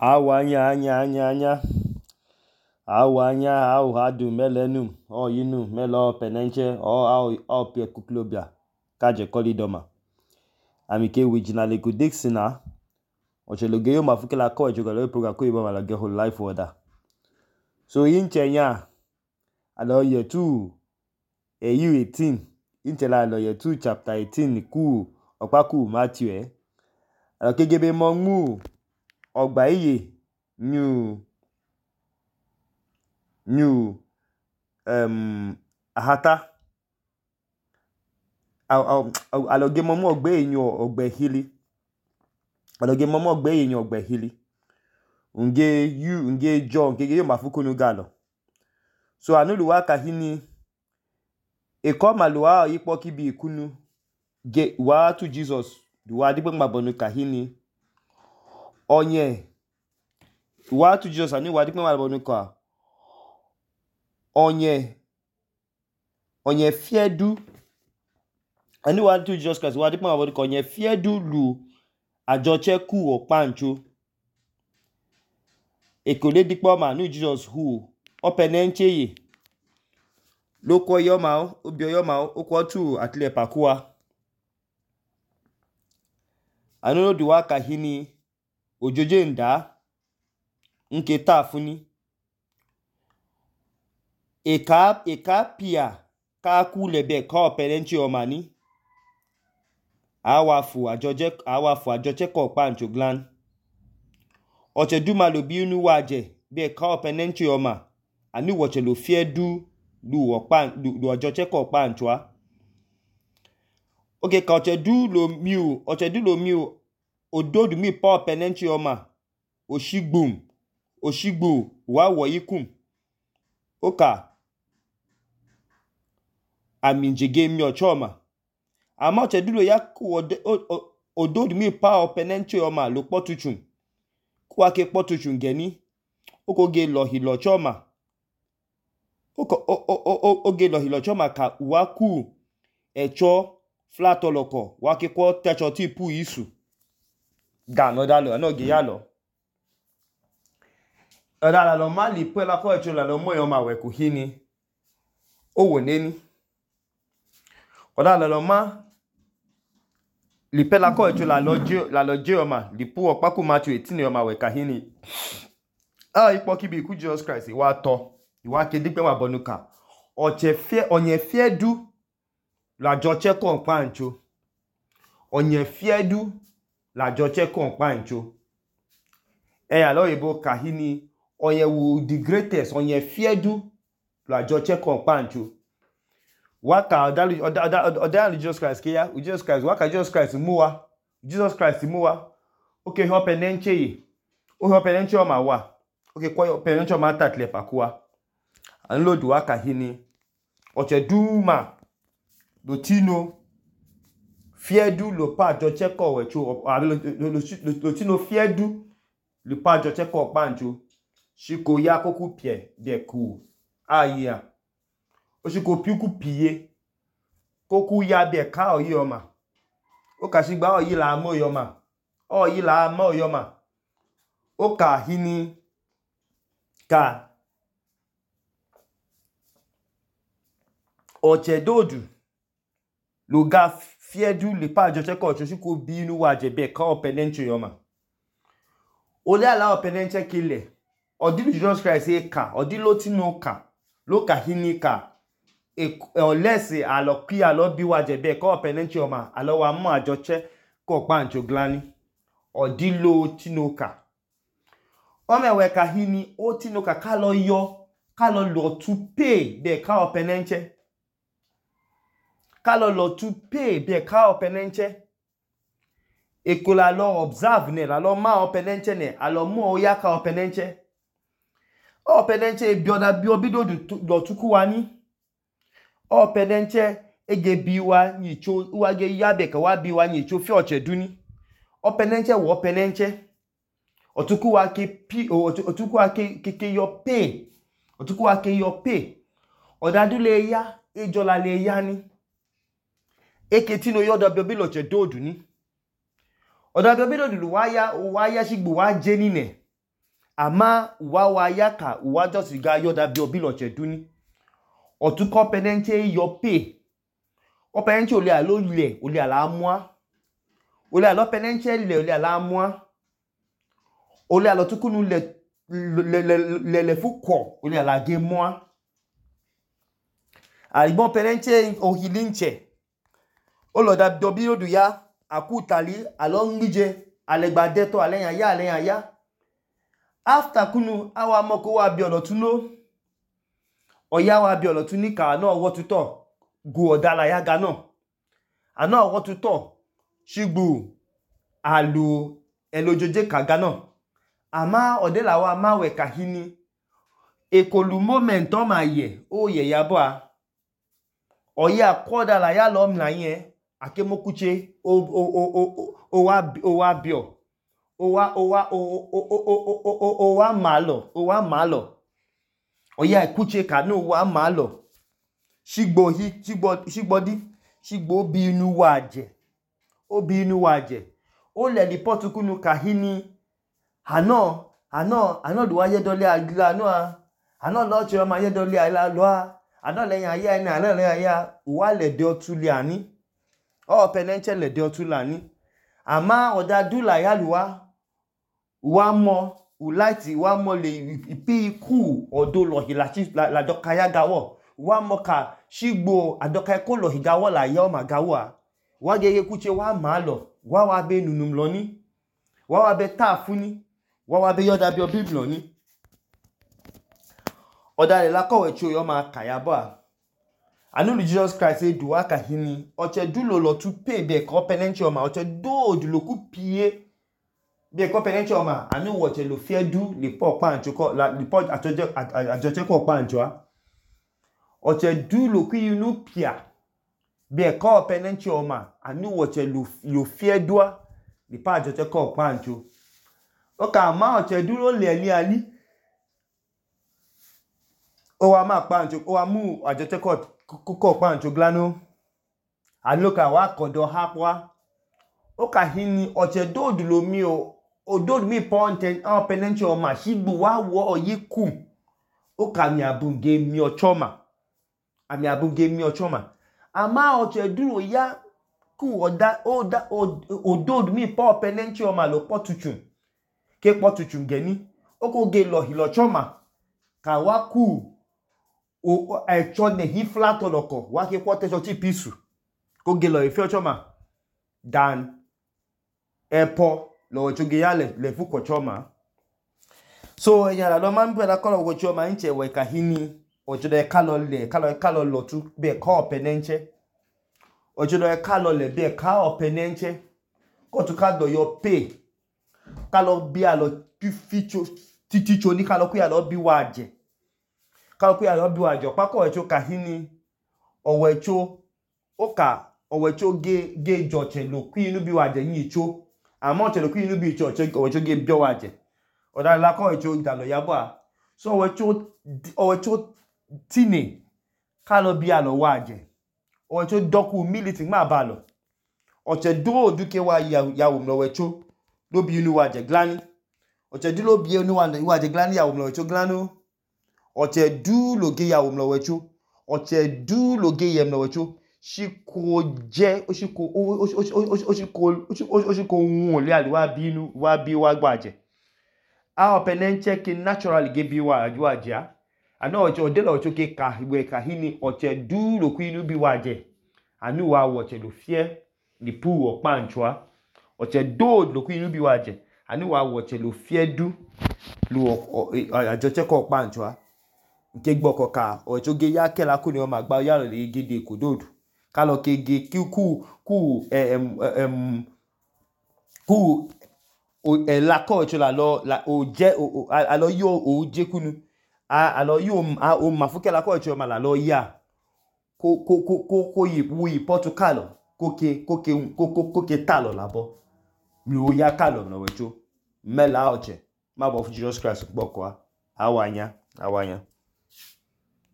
Anya. Anya, hadu melenum, yinu, melo penenche, pie kuklobia, kaje kolidoma. Amike wijinale kudixina, ochelogeyo mafukela ko ejogalo program ko iba malage whole life order. So inchenya, alo yetu, EU 18, inchela alo yetu chapter 18 ku, okpaku Matthew alo kegebe mongu, ogba iye, new ahata aloge momu ogbe enyo ogbehili aloge momu ogbe enyo ogbehili unge John kege yo mafukunu galo. So anuluwa kahini ekoma luwa ikpo kibi ikunu ge wa to Jesus duwa dipe mabonu kahini onye wa to Jesus ani wa dipe mabonu ka onye fiedu ani wa to Jesus Christ wa dipe mabonu ka onye fiedu lu ajoche ku okpancho ekole dipe ma nu Jesus hu openenche ye loko yoma obio yoma okwo tu atle pakua anono duwa kahini ojoje nda nke tafuni eka pia ka kulebe ka openenche omani awafu ajoche ko okpancho glan oche duma lo biunu waje be ka openenche oma ani woche lo fiedu lu ajoche ko okpancho okay ka oche du lo miu ododu mi pa openenche oma oshigbu wa wo ikum oka aminjege mi ochoma ama oche du lo ya ku ododu mi pa openenche oma lo potuchun kwa ke potuchun geni okoge lohilo choma oge lohilo choma ka waku echo flat oloko wake kwa techo tipu isu ga no dalo anoge yalo odala lo mali pela ko echo la lo moyo ma we kuhini owoneni odala lo ma lipela ko echo la lo je oma lipu okpaku Matthew 18 oma we kahini ikpo kibi ku Jesus Christ wa to iwa ke dipe mabonu ka onye fiedu la joche ko okpancho onye fiedu la joche ko okpancho alo ibo kahini onye wu the greatest onye fiedu la joche ko okpancho waka odalu Jesus Christ ke ya Jesus Christ waka Jesus Christ muwa okay hopenenche ye hopenenche oma wa okay kwa hopenenche oma tatle pakua anlodu waka hini oche duma lo tino fiedu lo pa joche ko wecho lo tino fiedu lo pa joche ko okpancho shiko ya koku pie de ku aya oshiko piku piye koku ya be ka oyi oma okashigba oyi la mo yoma oka hini ka oche dodu lo ga fiedu le pa joche ko shiko binu waje be ka openenche yoma ole ala openenche kile odilu Jesus Christ ka odilo tino ka lo ka hini ka olesi aloki alobi waje be ka openenche oma alo wa mo ajoche ko okpancho glani odilo tino ka omewe ka hini o tino ka kalo lo to pay be ka openenche ekola lo observe ne la lo ma openenche ne alo mo oya ka openenche bioda biobido do tuku wani openenche ege biwa nyicho wage yabe ka wa biwa nyicho fi oche duni openenche wo openenche otuku wa ke yo pay odadu le ya ejola le ya ni eketino yodo biobilo che dodu ni oda biobilo du wa ya shigbu wa je nine ama wa ya ka wa just ga yoda bi obi loche duni otuko penenche yo pe o penenche ole alo le ole ala amua ole alo penenche le ole ala amua ole alo tukunu le fuko ole ala ge mua alibon penenche ohilinche oloda dobi odu ya akutali alo ngije alegbade to aleyan ya after kunu awa moko wa bi olotuno oya wa bi olotuni ka na owo tuto gu odala ya ga na ana owo tuto shigbu alu elojoje ka ga na ama odela wa ma we ka hini ekolu moment o ma ye o ye ya bo a oya kodala ya lo mla yen akemokuche o wa bio o wa malo oya ikuche ka no wa malo shigbo bi inu waje o le report kunu ka hini ano do wa ye dole agla no ano lo che ma ye dole ala lo ano le yan ya ni ano le yan ya wa le de otuli ani o penenche le de otulani ama oda dula ya luwa wa mo ulaiti wa mo le ipi ku odo lo hilachi la doka ya gawo wa mo ka shigbo adoka ko lo higawo la ya o ma gawo a wa gege kuche wa ma lo wa be nunum lo ni wa be tafuni wa be yoda bi obiblo ni oda le la kowe chu yo ma kaya bo a anu Jesus Christ e duwa ka hini oche dulo lo tu pe be ko penenche o ma oche do dulo ku pie be ko penenche o ma anu woche lo fie du le po pa ancho ko la le po ajoje ko pa ancho a oche dulo ku inu pia be ko penenche o ma anu woche lo fie dua le pa ajoje ko pa ancho o ka ma oche dulo le ali o wa ma pa ancho o wa mu ajoje ko pa ancho glano aloka wa kodo hapwa o ka hini oche dodu lo mi o ododu mi ponten o penenche o ma shigbu wa wo oyiku o ka mi abunge mi ochoma ama oche duro ya ku ododu mi po penenche o ma lo potuchun ke potuchun geni o ko ge lo hilo choma ka wa ku o echo ne hi flat oloko wa ke kwote so ti pisu ko ge lo ife ochoma dan epo lo choge ya le fu ko choma so eyan la lo ma npe la ko lo choma nche we ka hini ojo de ka lo lo tu be ko penenche ojo de ka lo le be ka o penenche ko tu ka do yo pay ka lo bi a lo ficho titicho ni ka lo ku ya lo bi waje pako echo ka hini owecho ge joche lo ku inu bi waje yin icho amo che lo ku inu bi icho owecho ge bio waje oda la ko echo dalo yabo a so owecho tini ka lo bi a lo waje owecho doku militi ma ba lo oche do duke wa ya wo mlo wecho lo bi inu waje glani oche di lo bi inu waje glani ya wo mlo wecho glano oche du loge ya wo mlo wecho oche du loge ye mlo wecho shiko je oshiko won le ali wa bi inu wa bi wa gbaje a penenche ki naturally ge bi wa aju aja ana oche odelo ocho ke ka we ka hini oche du lo ku inu bi waje anu wa oche lo fie ni pu o pa anchoa oche do lo ku inu bi waje anu wa oche lo fie du lo ajoche ko pa anchoa nke gboko ka ocho ge ya kela ku ni o ma gba ya lo le gede kododu ka lo ke ge ku la ko ocho la lo la o je alo yo o je kunu alo yo o ma fu kela ko ocho ma la lo ya ko yi Portugal ko ke talo labo mi o ya kalo no wecho mela oche ma bo fu Jesus Christ gboko awanya